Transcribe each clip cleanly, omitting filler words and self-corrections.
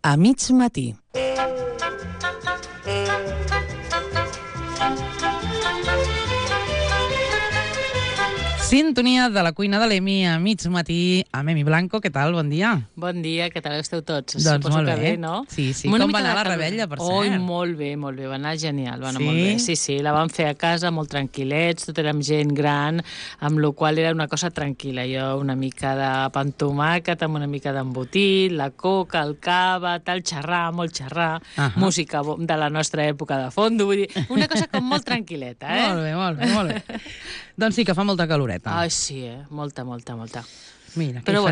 A mig matí. Sintonia de la cuina de l'Emi a mig matí amb Emi Blanco. Què tal? Bon dia. Bon dia, què tal esteu tots? Doncs molt bé, no? Sí. Com va anar la rebella, per cert? Oi, molt bé, va anar genial, va anar Sí? molt bé. Sí, la vam fer a casa, molt tranquil·lets, tot érem gent gran, amb la qual era una cosa tranquil·la. Jo una mica de pa amb tomàquet, amb una mica d'embotit, la coca, el cava, tal, xerrar, molt xerrar, música de la nostra època de fondo, vull dir, una cosa com molt tranquil·leta, Molt bé. Doncs sí que fa molta caloreta. Ah, sí, molta. Mira, Però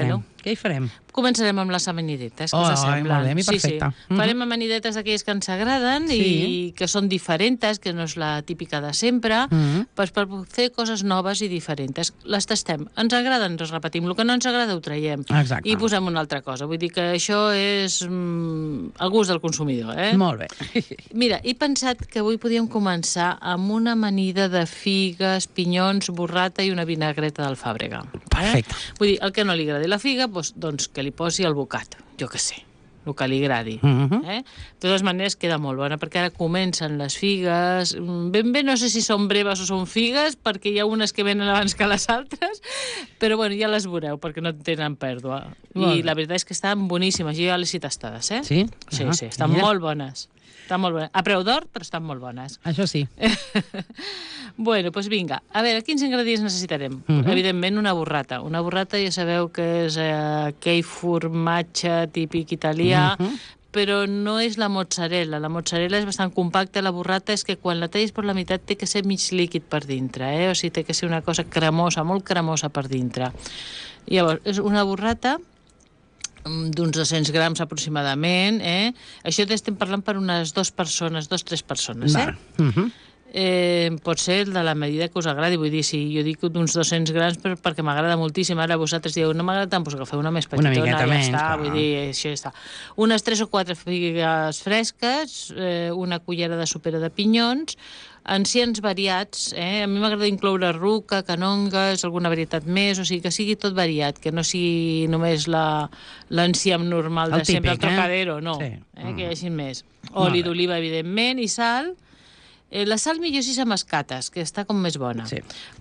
què hi farem? Començarem amb les amanidetes, que us semblen? Molt bé, a mi perfecte. Sí. Farem amanidetes d'aquelles que ens agraden i que són diferents, que no és la típica de sempre, per fer coses noves i diferents. Les tastem. Ens agrada, ens repetim. El que no ens agrada ho traiem. Exacte. I posem una altra cosa. Vull dir que això és el gust del consumidor, Molt bé. Mira, he pensat que avui podíem començar amb una amanida de figues, pinyons, burrata i una vinagreta d'alfàbrega. Perfecte. Vull dir, el que no li agradi la figa, doncs que li posi el bocat, jo què sé, el que li agradi. De totes maneres queda molt bona, perquè ara comencen les figues. Ben bé no sé si són breves o són figues, perquè hi ha unes que venen abans que les altres, però bueno, ja les veureu, perquè no tenen pèrdua. I la veritat és que estan boníssimes, jo ja les he tastades, Sí? Sí, estan molt bones. Estan molt bones. A preu d'or, però estan molt bones. Això sí. Bueno, doncs vinga. A veure, quins ingredients necessitarem? Evidentment, una burrata. Una burrata ja sabeu que és aquell formatge típic italià, però no és la mozzarella. La mozzarella és bastant compacta, la burrata és que quan la tallis per la meitat té que ser mig líquid per dintre, o sigui, té que ser una cosa cremosa, molt cremosa per dintre. Llavors, és una burrata d'uns 200 grams aproximadament, Això estem parlant per unes 3 persones, pot ser de la medida que us agradi, vull dir, si jo dic d'uns 200 grams perquè m'agrada moltíssim, ara vosaltres dieu, no m'agrada tant, doncs agafeu una més petitona, una miqueta menys, està, vull dir, això ja està. Unes 3 o 4 figues fresques, una cullera de sopera de pinyons, enciams variats, a mi m'agrada incloure ruca, canongues, alguna varietat més, o sigui, que sigui tot variat, que no sigui només l'enciam normal de sempre, el trocadero, no, que hi hagi més. Oli d'oliva, evidentment, i sal. La sal millor si s'amascates, que està com més bona.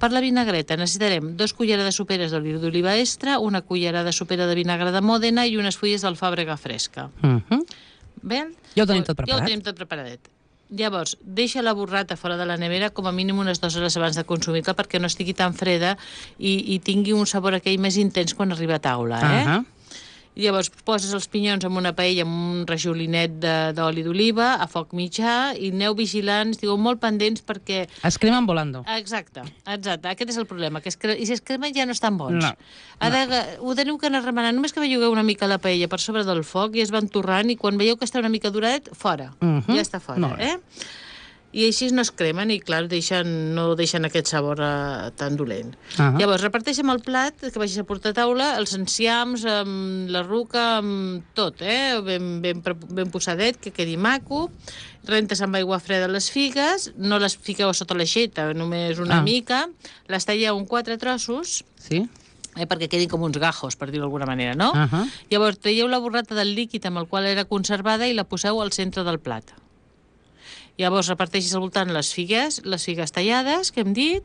Per la vinagreta necessitarem 2 culleres de soperes d'oli d'oliva extra, una cullera de sopera de vinagre de Mòdena i unes fulles d'alfàbrega fresca. Bé? Ja ho tenim tot preparat. Ja ho tenim tot preparadet. Llavors, deixa la burrata fora de la nevera com a mínim unes 2 hores abans de consumir-la perquè no estigui tan freda i tingui un sabor aquell més intens quan arriba a taula, Llavors, poses els pinyons en una paella amb un rajolinet d'oli d'oliva a foc mitjà i aneu vigilants, estigueu molt pendents perquè... Es cremen volando. Exacte. Aquest és el problema. I si es cremen ja no estan bons. No. Ho teniu que anar remenant. Només que bellugueu una mica la paella per sobre del foc i es va entorrant i quan veieu que està una mica duradet, fora. Ja està fora, I així no es cremen i, clar, no deixen aquest sabor tan dolent. Llavors, reparteixen el plat que vagis a portar a taula, els enciams, amb la ruca, amb tot, ben posadet, que quedi maco. Rentes amb aigua freda les figues, no les fiqueu sota l'aixeta, només una mica. Les talleu en 4 trossos. Sí. Perquè quedin com uns gajos, per dir-ho d'alguna manera, no? Llavors, traieu la burrata del líquid amb el qual era conservada i la poseu al centre del plat. Llavors reparteixes al voltant les figues tallades, que hem dit,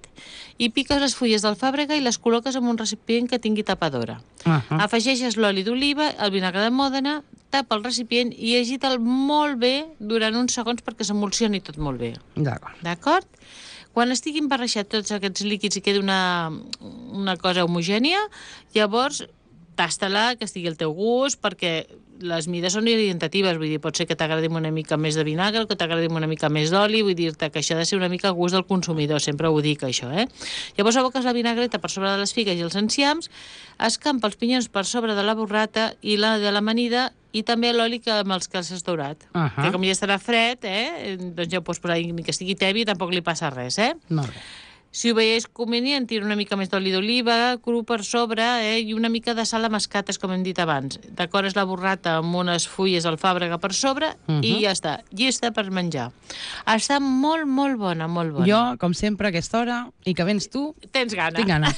i piques les fulles d'alfàbrega i les col·loques en un recipient que tingui tapadora. Afegeixes l'oli d'oliva, el vinagre de Mòdena, tapa el recipient i agita'l molt bé durant uns segons perquè s'emulsioni tot molt bé. D'acord? Quan estiguin barrejats tots aquests líquids i quedi una cosa homogènia, llavors tasta-la, que estigui al teu gust, perquè les mides són orientatives, vull dir, pot ser que t'agradi una mica més de vinagre, que t'agradi una mica més d'oli, vull dir-te que això ha de ser una mica a gust del consumidor, sempre ho dic, això, Llavors aboques la vinagreta per sobre de les figues i els enciams, escampa els pinyons per sobre de la burrata i la de l'amanida i també l'oli amb els que has daurat. Que com ja estarà fred, doncs ja ho pots posar, ni que estigui tebi, tampoc li passa res, Molt bé. Si ho veiés convenient, tira una mica més d'oli d'oliva cru per sobre i una mica de sal a mascates, com hem dit abans. Decores la burrata amb unes fulles d'alfàbrega per sobre i ja està, llista per menjar. Està molt, molt bona, molt bona. Jo, com sempre, a aquesta hora, i que vens tu... Tens gana. Tinc gana.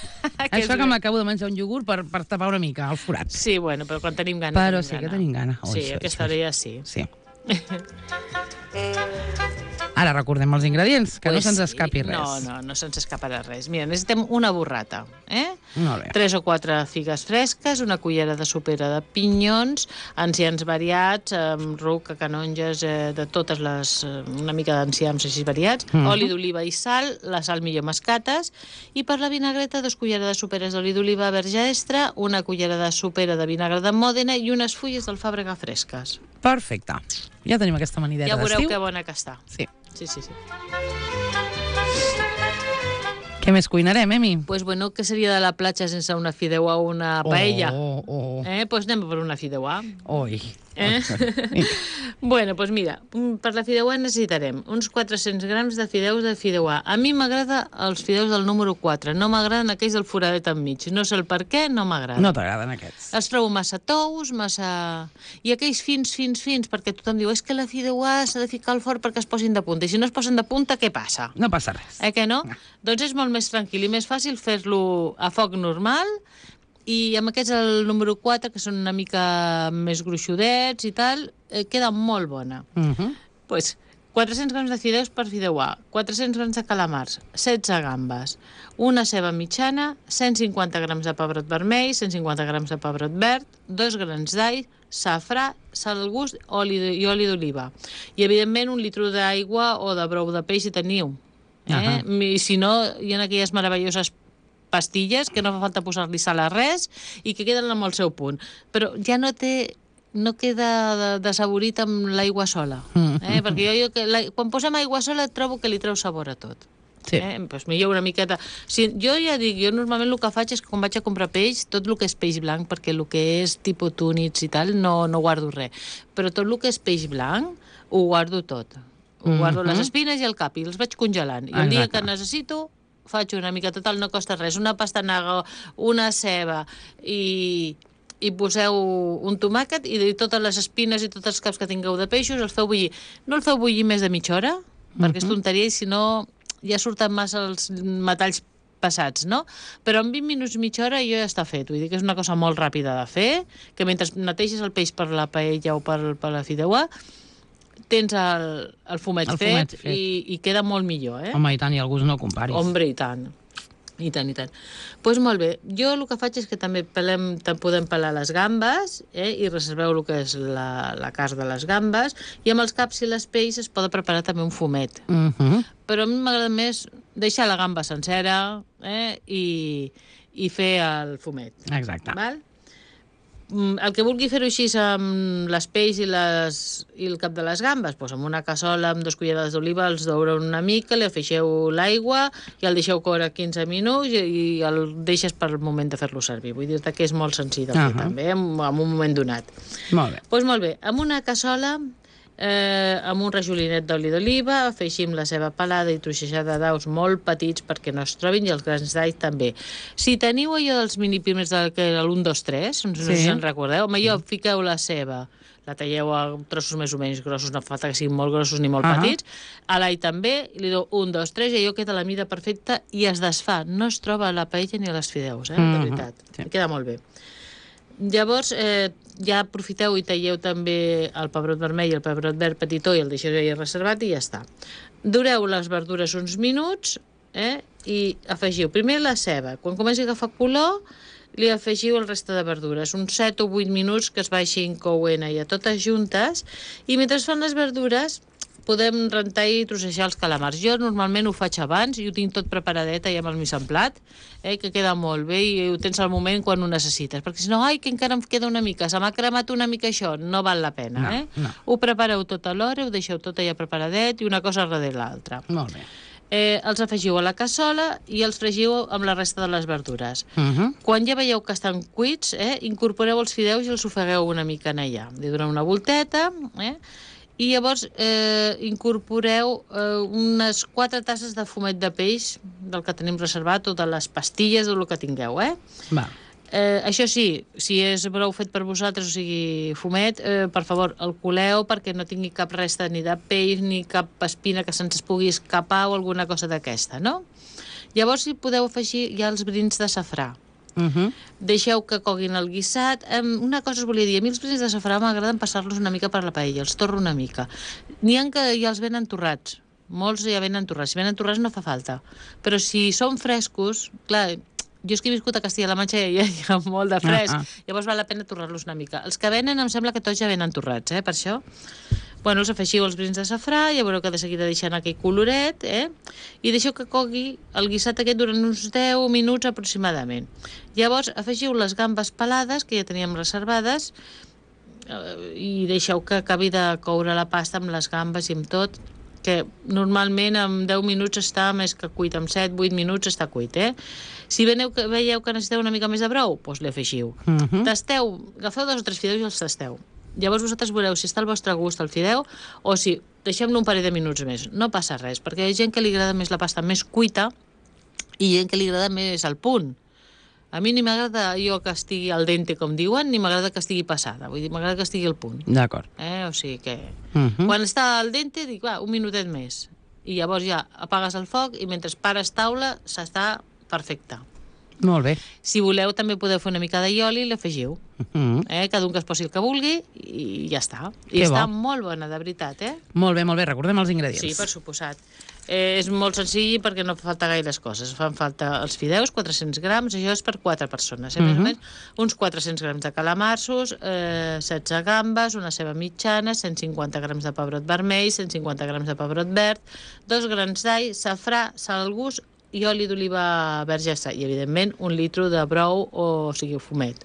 Això que m'acabo de menjar un iogurt per tapar una mica el forat. Sí, bueno, però quan tenim gana, però sí que tenim gana. Sí, a aquesta hora ja sí. Sí. Ara recordem els ingredients, que no se'ns escapi res. No se'ns escaparà res. Mira, necessitem una burrata, Molt bé. 3 o 4 figues fresques, una cullera de sopera de pinyons, enciams variats, ruc, canonges, de totes les... una mica d'enciams així variats, oli d'oliva i sal, la sal millor mascates, i per la vinagreta 2 culleres de soperes d'oli d'oliva verge extra, una cullera de sopera de vinagre de Mòdena i unes fulles d'alfàbrega fresques. Perfecte. Ja tenim aquesta amanideta d'estiu. Ja veureu que bona que està. Sí. Sí. Què més cuinarem, Emi? Pues bueno, què seria de la platja sense una fideuà o una paella? Pues anem per una fideuà. Oi. Bueno, pues mira, per la fideuà necessitarem uns 400 grams de fideuà. A mi m'agrada els fideus del número 4, no m'agraden aquells del foradet enmig. No sé el per què, no m'agraden. No t'agraden aquests. Els trobo massa tous, i aquells fins, perquè tothom diu és que la fideuà s'ha de ficar al forn perquè es posin de punta. I si no es posen de punta, què passa? No passa res. Que no? Doncs és molt més tranquil i més fàcil fer-lo a foc normal. I amb aquests, el número 4, que són una mica més gruixudets i tal, queda molt bona. Pues 400 grams de fideus per fideuà, 400 grams de calamars, 16 gambes, una ceba mitjana, 150 grams de pebrot vermell, 150 grams de pebrot verd, 2 grans d'all, safrà, sal al gust i oli d'oliva. I, evidentment, 1 litre d'aigua o de brou de peix si teniu. I si no, hi ha aquelles meravelloses pastilles que no fa falta posar-li sal a res i que queden amb el seu punt. Però ja no queda dessaborit amb l'aigua sola. Perquè jo quan posem aigua sola trobo que li treu sabor a tot. Sí. Doncs millor una miqueta... Jo ja dic, jo normalment el que faig és que quan vaig a comprar peix, tot el que és peix blanc, perquè el que és tipus túnids i tal, no guardo res. Però tot el que és peix blanc ho guardo tot. Ho guardo les espines i el cap i els vaig congelant. I el dia que necessito faig una mica, total, no costa res, una pastanaga, una ceba i poseu un tomàquet i totes les espines i tots els caps que tingueu de peixos els feu bullir. No el feu bullir més de mitja hora, perquè és tonteria i si no ja surten massa els metalls passats, no? Però en 20 minuts, mitja hora, jo ja està fet. Vull dir que és una cosa molt ràpida de fer, que mentre neteges el peix per la paella o per la fideuà, tens el fumet fet i queda molt millor, Home, i tant, i el gust no comparis. Hombre, i tant. I tant. Doncs molt bé, jo el que faig és que també podem pelar les gambes i reserveu el que és la carn de les gambes i amb els caps i les peix es pot preparar també un fumet. Però a mi m'agrada més deixar la gamba sencera i fer el fumet. Exacte. Val? El que vulgui fer-ho així amb les peix i el cap de les gambes, doncs amb una cassola amb 2 cullerades d'oliva els daureu una mica, li afegeixeu l'aigua i el deixeu córrer 15 minuts i el deixes per el moment de fer-lo servir. Vull dir que és molt senzill de fer també, en un moment donat. Molt bé. Doncs molt bé, amb una cassola amb un rajolinet d'oli d'oliva, afegim la ceba pelada i troixejada d'aus molt petits perquè no es trobin i els grans d'all també. Si teniu allò dels minipímers que era l'1, 2, 3, no sé si en recordeu, allò fiqueu la ceba, la talleu a trossos més o menys grossos, no fa falta que siguin molt grossos ni molt petits, a l'all també, i li deu 1, 2, 3 i allò queda a la mida perfecta i es desfà, no es troba a la paella ni a les fideus, de veritat, queda molt bé. Llavors, ja aprofiteu i talleu també el pebrot vermell i el pebrot verd petitó i el deixeu ja reservat i ja està. Dureu les verdures uns minuts i afegiu primer la ceba. Quan comenci a agafar color, li afegiu el reste de verdures. Uns 7 o 8 minuts que es vagin coent ja totes juntes i mentre es fan les verdures podem rentar i trossejar els calamars. Jo normalment ho faig abans i ho tinc tot preparadet ja amb el mise en plat, que queda molt bé i ho tens al moment quan ho necessites. Perquè si no, que encara em queda una mica, se m'ha cremat una mica això, no val la pena. No. Ho prepareu tot a l'hora, ho deixeu tot allà preparadet i una cosa darrere l'altra. Molt bé. Els afegiu a la cassola i els fregiu amb la resta de les verdures. Quan ja veieu que estan cuits, incorporeu els fideus i els ofegueu una mica en allà. Li doneu una volteta, I llavors incorporeu unes 4 tasses de fumet de peix, del que tenim reservat, o de les pastilles, o el que tingueu, Va. Això sí, si és brou fet per vosaltres, o sigui, fumet, per favor, el coleu perquè no tingui cap resta ni de peix ni cap espina que se'ns pugui escapar o alguna cosa d'aquesta, no? Llavors hi podeu afegir ja els brins de safrà. Deixeu que coguin el guisat. Una cosa us volia dir, a mi els brins de safrà m'agraden passar-los una mica per la paella, els torro una mica. N'hi ha que ja els venen torrats, molts ja venen torrats. Si venen torrats no fa falta, però si són frescos, clar, jo és que he viscut a Castilla-La Manxa i hi ha molt de fresc, llavors val la pena torrar-los una mica. Els que venen em sembla que tots ja venen torrats, per això. Bueno, us afegiu els brins de safrà, ja veureu que de seguida deixen aquell coloret, i deixeu que cogui el guisat aquest durant uns 10 minuts aproximadament. Llavors afegiu les gambes pelades, que ja teníem reservades, i deixeu que acabi de coure la pasta amb les gambes i amb tot, que normalment en 10 minuts està més que cuit, en 7-8 minuts està cuit, Si veieu que necessiteu una mica més de brou, doncs li afegiu. Tasteu, agafeu 2 o 3 fideus i els tasteu. Llavors vosaltres veureu si està al vostre gust el fideu o si deixem-lo un parell de minuts més. No passa res, perquè hi ha gent que li agrada més la pasta més cuita i gent que li agrada més al punt. A mi ni m'agrada jo que estigui al dente, com diuen, ni m'agrada que estigui passada. Vull dir, m'agrada que estigui al punt. D'acord. O sigui que... Quan està al dente, dic, va, un minutet més. I llavors ja apagues el foc i mentre pares taula s'està perfecte. Molt bé. Si voleu, també podeu fer una mica d'allioli i l'afegiu. Cada un que es posi el que vulgui i ja està. I està molt bona, de veritat, Molt bé, molt bé. Recordem els ingredients. Sí, per suposat. És molt senzill perquè no fa falta gaires coses. Fan falta els fideus, 400 grams, això és per 4 persones. Més o menys uns 400 grams de calamarsos, 16 gambes, una ceba mitjana, 150 grams de pebrot vermell, 150 grams de pebrot verd, 2 grans d'all, safrà, sal al gust, i oli d'oliva verge i, evidentment, 1 litre de brou, o sigui, fumet.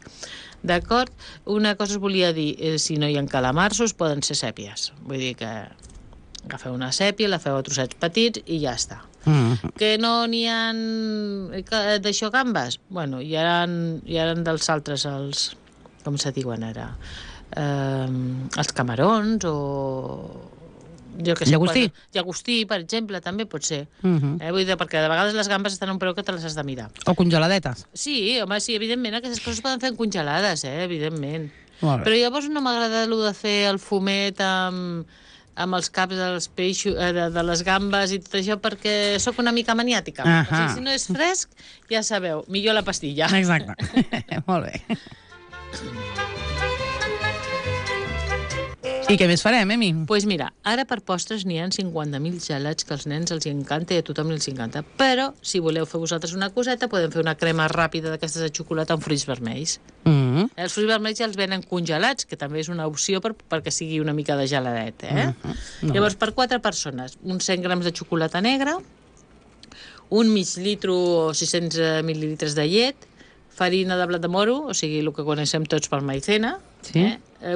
D'acord? Una cosa us volia dir, si no hi ha calamarsos, poden ser sèpies. Vull dir que agafeu una sèpia, la feu a trossets petits i ja està. Que no n'hi ha d'això gambes? Bueno, hi ha dels altres, com se diuen ara? Els camarons o... Llagostí? Llagostí, per exemple, també pot ser. Vull dir, perquè de vegades les gambes estan a un preu que te les has de mirar. O congeladetes? Sí, home, sí, evidentment, aquestes coses poden fer congelades, evidentment. Però llavors no m'agrada el de fer el fumet amb els caps dels peixos, de les gambes i tot això, perquè sóc una mica maniàtica. O sigui, si no és fresc, ja sabeu, millor la pastilla. Exacte. Molt bé. I què més farem, Emi? Doncs mira, ara per postres n'hi ha 50.000 gelats que als nens els encanta i a tothom els encanta. Però, si voleu fer vosaltres una coseta, podem fer una crema ràpida d'aquestes de xocolata amb fruits vermells. Els fruits vermells ja els venen congelats, que també és una opció perquè sigui una mica de geladet. Llavors, per 4 persones, uns 100 grams de xocolata negra, un mig litre o 600 mil·lilitres de llet, farina de blat de moro, o sigui, el que coneixem tots per maicena,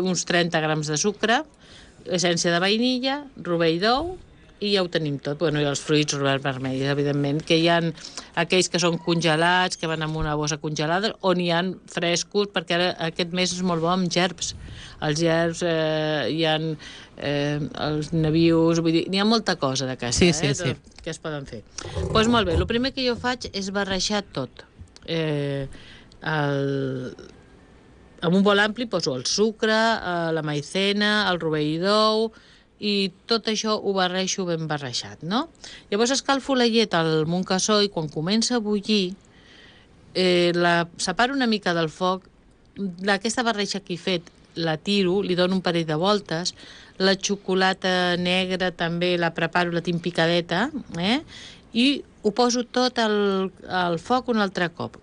uns 30 grams de sucre, essència de vainilla, rovell d'ou, i ja ho tenim tot. I els fruits vermells, evidentment, que hi ha aquells que són congelats, que van en una bossa congelada, o n'hi ha frescos, perquè ara aquest mes és molt bo amb gerbs. Els gerbs, hi ha els nabius, vull dir, n'hi ha molta cosa d'aquesta, que es poden fer. Doncs molt bé, el primer que jo faig és barrejar tot. En un bol ampli poso el sucre, la maicena, el rovell d'ou, i tot això ho barreixo ben barrejat, no? Llavors escalfo la llet al Montcassó i quan comença a bullir la separo una mica del foc, aquesta barreja que he fet la tiro, li dono un parell de voltes, la xocolata negra també la preparo, la tinc picadeta, i ho poso tot al foc un altre cop.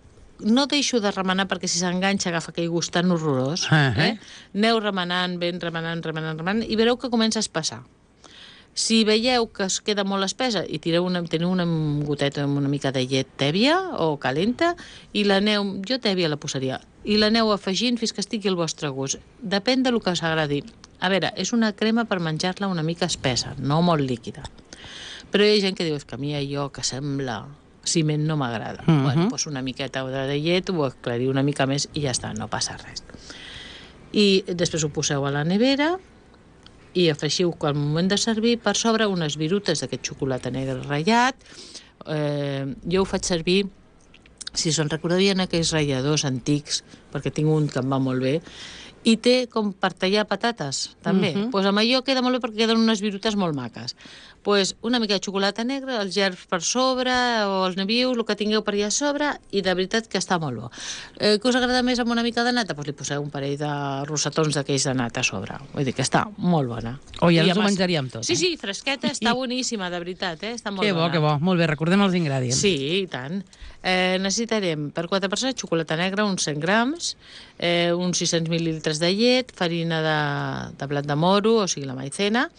No deixo de remenar perquè si s'enganxa agafa aquell gust tan horrorós. Aneu remenant, ben remenant, i veureu que comença a espessar. Si veieu que es queda molt espessa i teniu una goteta amb una mica de llet tèbia o calenta, i l'aneu, jo tèbia la posaria, i l'aneu afegint fins que estigui al vostre gust. Depèn del que us agradi. A veure, és una crema per menjar-la una mica espessa, no molt líquida. Però hi ha gent que diu que a mi allò que sembla ciment no m'agrada. Doncs una miqueta de llet, ho aclariu una mica més i ja està, no passa res. I després ho poseu a la nevera i afegiu al moment de servir per sobre unes virutes d'aquest xocolata negre ratllat. Jo ho faig servir, si se'n recordavien aquells ratlladors antics, perquè tinc un que em va molt bé, i té com per tallar patates, també. Doncs amb allò queda molt bé perquè queden unes virutes molt maques. Doncs una mica de xocolata negra, els gerbs per sobre, o els nabius, el que tingueu per allà a sobre, i de veritat que està molt bo. Què us agrada més amb una mica de nata? Doncs li poseu un parell de rossetons d'aquells de nata a sobre. Vull dir que està molt bona. O ja ens ho menjaríem tot. Sí, fresqueta, està boníssima, de veritat, està molt bona. Que bo. Molt bé, recordem els ingredients. Sí, i tant. Necessitarem per 4 persones xocolata negra, uns 100 grams, uns 600 mil·lilitres de llet, farina de blat de moro, o sigui, la maicena,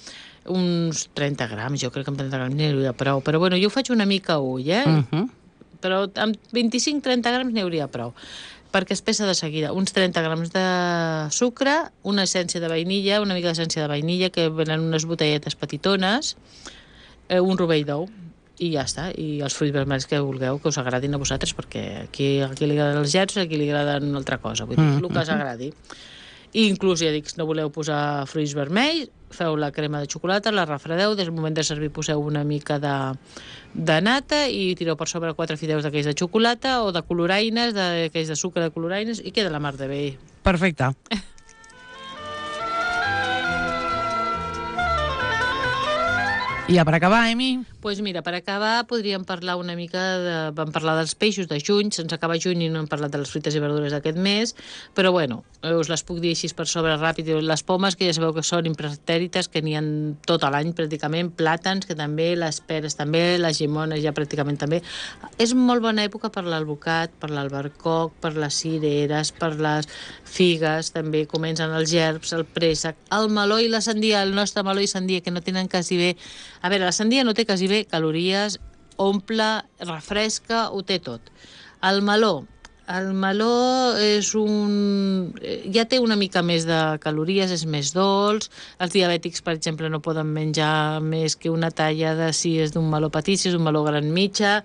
uns 30 grams, jo crec que amb 30 grams n'hi hauria prou, però bueno, jo ho faig una mica a ull, però amb 25-30 grams n'hi hauria prou, perquè es pesa de seguida. Uns 30 grams de sucre, una essència de vainilla, una mica d'essència de vainilla, que venen unes botelletes petitones, un rovell d'ou, i ja està, i els fruits vermells que vulgueu, que us agradin a vosaltres, perquè aquí li agraden els gerds, aquí li agraden una altra cosa, vull dir, el que us agradi. I inclús, ja dic, no voleu posar fruits vermells, feu la crema de xocolata, la refredeu, des del moment de servir poseu una mica de nata i tireu per sobre 4 fideus d'aquells de xocolata o de coloraines, d'aquells de sucre de coloraines, i queda la mar de bé. Perfecte. I per acabar, Emi? Doncs mira, per acabar podríem parlar una mica vam parlar dels peixos de juny, se'ns acaba juny i no hem parlat de les fruites i verdures d'aquest mes, però bueno, us les puc dir així per sobre ràpid. Les pomes, que ja sabeu que són imprestèrites, que n'hi ha tot l'any pràcticament, plàtans, que també, les peres també, les llimones ja pràcticament també. És molt bona època per l'alvocat, per l'albercoc, per les cireres, per les figues, també comencen els gerbs, el préssec, el meló i la sandia, el nostre meló i sandia, que no tenen quasi bé... A veure, la sandia no té quasi bé calories, omple, refresca, ho té tot. El meló és ja té una mica més de calories, és més dolç. Els diabètics, per exemple, no poden menjar més que una talla si és d'un meló petit, si és un meló gran mitja.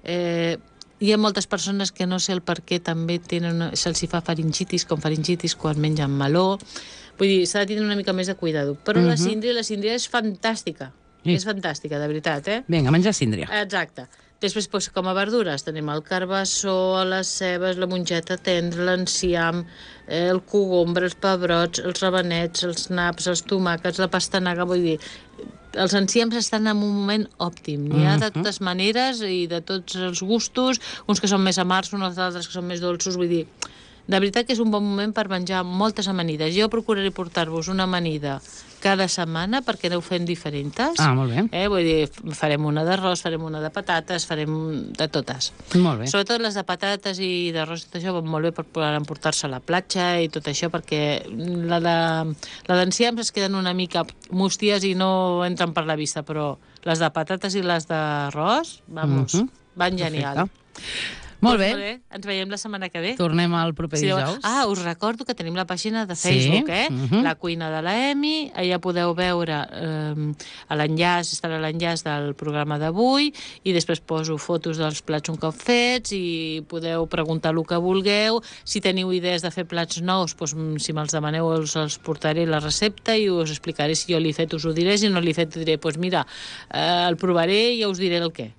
Hi ha moltes persones que no sé el per què també se'ls fa faringitis quan mengen meló. Vull dir, s'ha de tenir una mica més de cuidado. Però la síndria és fantàstica. És fantàstica, de veritat, Vinga, menjar síndria. Exacte. Després, com a verdures, tenim el carbassó, les cebes, la mongeta tendra, l'enciam, el cogombre, els pebrots, els rabanets, els naps, els tomàquets, la pastanaga, vull dir... Els enciams estan en un moment òptim. N'hi ha de totes maneres i de tots els gustos, uns que són més amargs, uns altres que són més dolços, vull dir... De veritat que és un bon moment per menjar moltes amanides. Jo procuraré portar-vos una amanida cada setmana perquè aneu fent diferents. Molt bé. Vull dir, farem una d'arròs, farem una de patates, farem de totes. Molt bé. Sobretot les de patates i d'arròs, tot això van molt bé per poder emportar-se a la platja i tot això, perquè la d'enciams es queden una mica musties i no entren per la vista, però les de patates i les d'arròs, vamos, van genial. Molt bé. Ens veiem la setmana que ve. Tornem al proper dijous. Us recordo que tenim la pàgina de Facebook, La cuina de la Emi. Allà podeu veure l'enllaç, estarà l'enllaç del programa d'avui, i després poso fotos dels plats un cop fets i podeu preguntar el que vulgueu. Si teniu idees de fer plats nous, si me'ls demaneu els portaré la recepta i us explicaré. Si jo l'he fet us ho diré, si no l'he fet diré, mira, el provaré i ja us diré el què.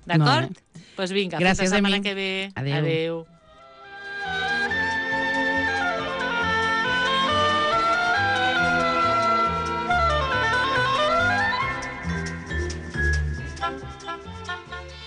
D'acord? Doncs vinga, fins la setmana que ve. Adéu.